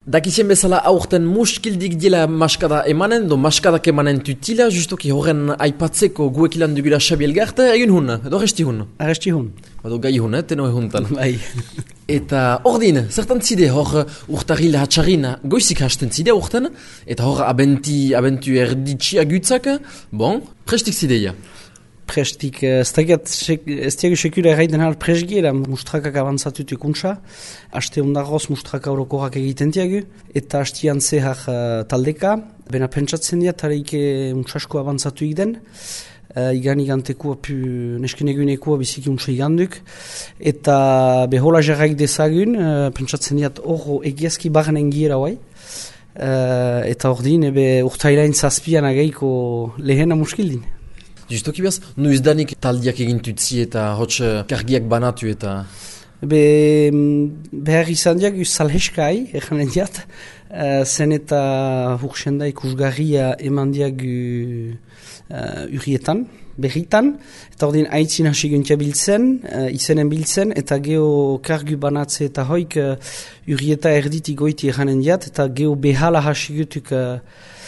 Dakizien bezala aurten muskildik dila maskada emanen, do maskadak emanen tutila, justoki horren aipatzeko guekilan dugula Xabi Elgarte, egin hun, edo resti hun? Aresti hun. Edo gai hun, teno ehuntan. Bai. Eta ordin, zertan zide hor urtarrila hatxarina goizik hasten zide urten, eta hor abentu erditxia gutzak, bon, prestik zideia. Prestik, ez diagu sekura erraiten hal presgiera, mustrakak avantzatutu ikuntza, haste ondagoz mustraka orokorak egiten diagu, eta hastian zehar taldeka, bena pentsatzen dira, tareike muntzasko avantzatu egiten, igantekua nesken egunekua biziki untsa iganduk, eta behola jarraik dezagun, pentsatzen dira hor egiazki barren giera guai, eta hor din, urtailain zazpian ageiko lehena muskildin. Justoki behaz, nuizdanik taldiak egintutzi eta hotx kargiak banatu eta... Behar izan diak salheskai, erranen diat, zen eta hurxenda ikusgarria eman diak urrietan, berritan, eta ordin aitzin hasi guntia biltzen, izenen biltzen, eta geho kargu banatze eta hoik urrieta erditi goiti erranen diat, eta geho behala hasi gutuk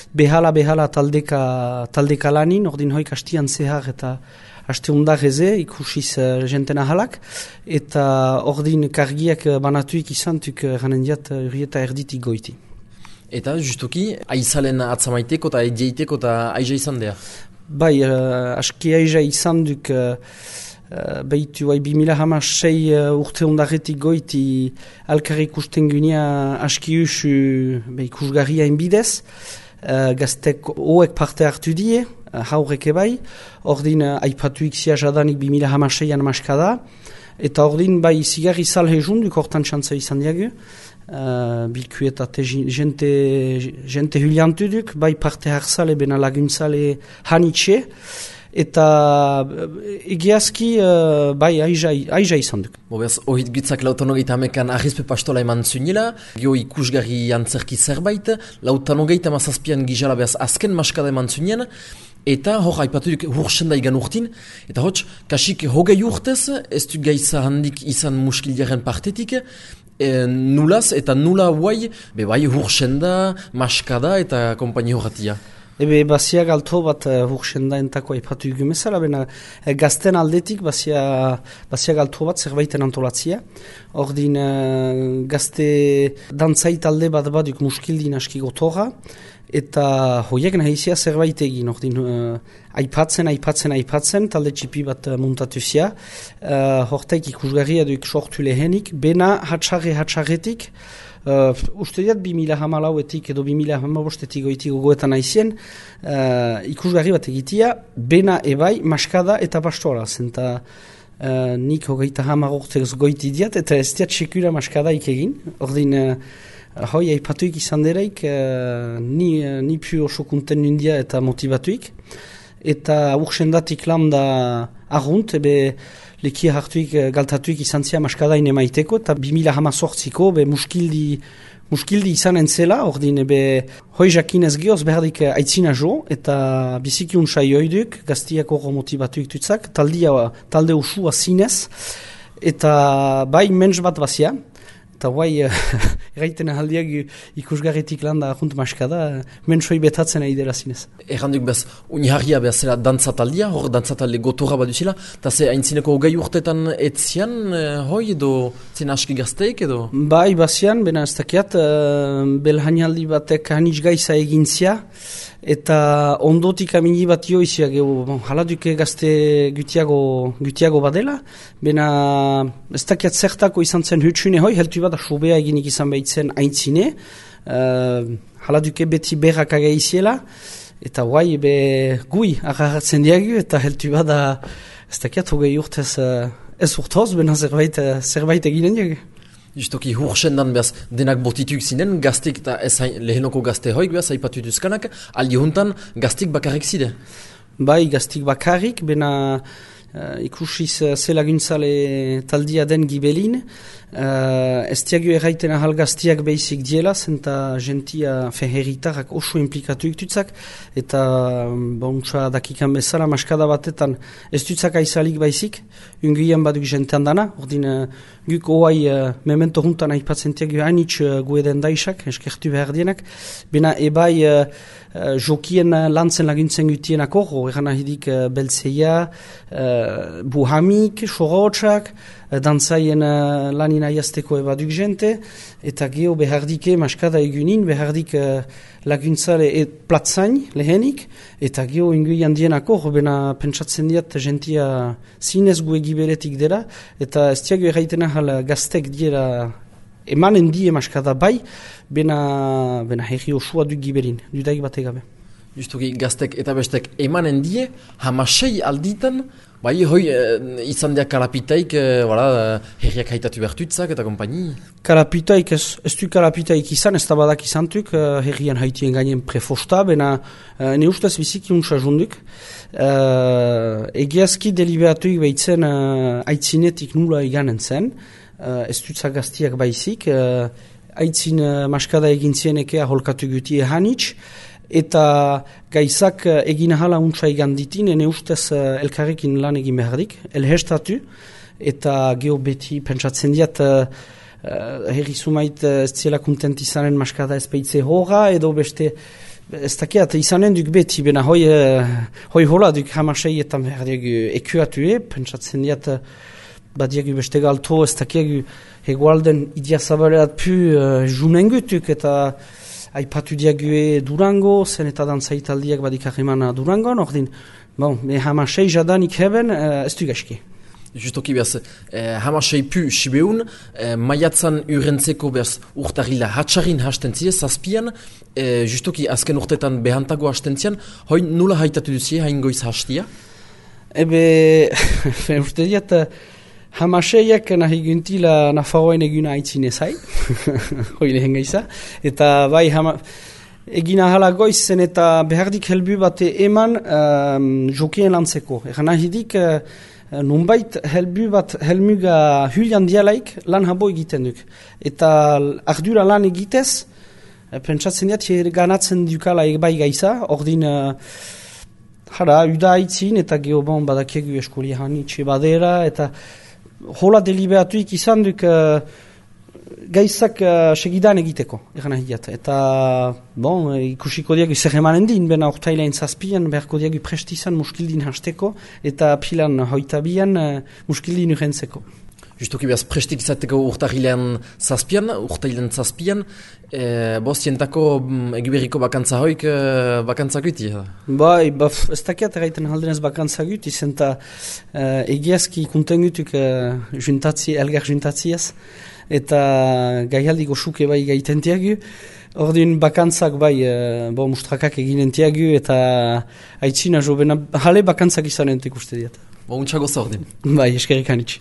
behala taldeka lanin, ordin hoik hastian zehar eta haste undar eze, ikusiz jentena halak, eta ordin kargiak banatuik izantuk ganen diat urrieta erditik goiti. Eta justuki, aizalen atzamaiteko eta edieiteko eta aiza izan dea? Bai, aski aiza izan duk behitu 2006 urte undarretik goiti alkarri ikusten gunia aski usu ikusgarria inbidez, gaztek hoek parte hartu die, haurek ebai, ordin aipatuik zia jadanik 2006an maskada, eta ordin bai zigarri salhe junduk hortan txantza izan diagu, bilku eta jente huliantu duk, bai parte harzale bena laguntzale hanitxe, eta egiazki bai aiza izan duk. Beaz, ohit gitzak lautanogeita hamekan ahizpe pastola eman zunila, geho ikusgarri antzerki zerbait, lautanogeita mazazpian gizala beaz azken maskada eman zunien, eta hor haipatu duk hurxenda igan urtin, eta hotx, kasik hogei urtez, ez du gaiza handik izan muskildiaren partetik, nulaz eta nula huai, bai hurxenda, maskada eta kompaini horretia. Ebe bazia galto bat hurxenda entako aipatu igumezala, bena gazten aldetik bazia galto bat zerbaiten antolatzia. Ordin gazte dantzait alde bat baduk muskildin aski gotorra, eta hoiek nahizia zerbait egin, ordin aipatzen, talde txipi bat muntatu zia. Hortaik ikusgarria duk sortu lehenik, bena hatxarretik, uste diat 2014etik edo 2015etik goiti gogoetan aizien, ikusgarri bat egitia, bena ebai, maskada eta pastola, zenta nik hogeita 10 urtez goiti diat, eta ez diat sekura maskada ikegin, ordin hoi aipatuik izan deraik, ni pu oso kunten nindia eta motivatuik, eta urxendatik landa argunt, ebe lekia hartuik galtatuik izan zia maskadain emaiteko, eta 2018ko muskildi izanen zela, ordin hoi jakinez gehoz behardik aitzina jo, eta biziki unsai oiduk, gaztiak horro motivatuik tutzak, talde usua zinez, eta bai mens bat bazia, eta guai erraiten ahaldiak ikusgarretik landa ahunt maskada, mensoi betatzen ari dela zinez. Erranduk behaz, uniharria behazela dantzataldia, hor dantzatalde gotorra baduzela, eta ze haintzineko hogei urtetan etzian, hoi edo zen aski gazteik edo? Bai, bazian, bena ez dakiat, belhainaldi batek hanitz gaiza egintzia, eta ondotik amini bat joizia geho, haladuke gazte gutiago badela, bena ez dakiat zertako izan zen hutsune hoi, heltu bat sobea eginik izan behitzen aintzine, haladuke beti berrak agaiziela, eta guai gui agarratzen diagu, eta heltu bat ez dakiat hogei urtez ez urtoz, bena zerbait eginen diagu. Justoki hurxendan behaz denak botituk zinen, gaztik eta ez lehenoko gazte hoik behaz, haipatu duzkanak, aldi juntan gaztik bakarrik zide? Bai, gaztik bakarrik, bena ikusiz zelaguntzale taldia den gibelin, ez diagu erraiten ahal gaztiak behizik diela, zenta gentia herritarrak oso implikatu iktutzak, eta bontsa dakikan bezala maskada batetan ez dutzak aizalik baizik, unguian baduk jentean dana, ordin Guk oai memento juntan aipatzen tiagu hainitz gueden daisak, eskertu behar dienak. Bena ebai jokien lantzen laguntzen gutienak horro, egan ahidik beltzeia, buhamik, sorotsak, dantzaien lanin aiazteko ebaduk jente, eta geho behardike maskada egunin, behardik laguntzare platzain lehenik, eta geho ingui handienak hor, bena pentsatzen diat gentia zinez gu egiberetik dela, eta ez tiago erraiten ahal gaztek diera emanen die maskada bai, bena herri osua du giberin, dudaik bat egabe. Justuki gaztek eta bestek emanen die, hamasei alditan, bai hoi izan diak kalapitaik, herriak haitatu bertuitzak eta kompaini. Kalapitaik ez du kalapitaik izan, ez da badak izantuk, herrian haitien gainen prefosta, bena ne ustez biziki untsa junduk. Egiazki deliberatuik behitzen aitzinetik nula iganen zen, ez dutza gaztiak baizik, aitzin maskada egin zienekea holkatu guti ehanitz, eta gaizak egin ahala untsa egan ditin, ene ustez elkarrekin lan egin behardik, elhestatu, eta geho beti pentsatzen diat herri sumait ez ziela kontent izanen maskada ez peitze horra, edo beste ez dakiat izanen duk beti, bena hoi hola duk hamasei eta behardiak ekuatue, pentsatzen diat badiagu beste galto, ez dakiagu hegoalden idiazabaleat pu junengutuk, eta aipatu diague Durango, zen eta dantzaitaldiak badikak emana Durangon, ordin, hamasei jadanik heben, ez du gaizki. Justoki behaz, hamasei pu sibeun, maiatzan urentzeko behaz urtarila hatxarin hasten zire, zazpian, justoki azken urtetan behantago hasten zian, hoi nula haitatu duzie, hain goiz hastia? Ebe, urte diat, hamaseiak nahi guntila Nafarroen eguna aitzine zai, hoi lehen gaiza, eta bai egina hala goiz zen eta behardik helbu bate eman jokien lantzeko. Egan nahidik nunbait helbu bat helmuga hulian dialaik lan habo egiten duk. Eta ardura lan egitez, pentsatzen diat ganatzen dukala bai gaiza, ordin uda aitzin eta geobon badakiegu eskolia hanitxe badera, eta hola deliberatuik izan duk gaizak segidan egiteko, egan ahiat. Eta, ikusiko diagu zer emanen din, bena ortailain zazpian, beharko diagu prestizan muskildin hasteko, eta pilan hoitabian muskildin urentzeko. Justoki behaz prestik izateko urtailan zazpian, bostientako egiberriko bakantza hoik bakantza guti? Bai, ez dakiat erraiten haldenez bakantza guti, zenta egiazki kontengutuk elgar juntatziaz, eta gaialdiko suke bai gaitentiagu, ordin bakantzak bai mustrakak eginentiagu, eta aitzina jo, bena jale bakantzak izanentek uste diat. Untxago zordin. Bai, eskerrik anitz.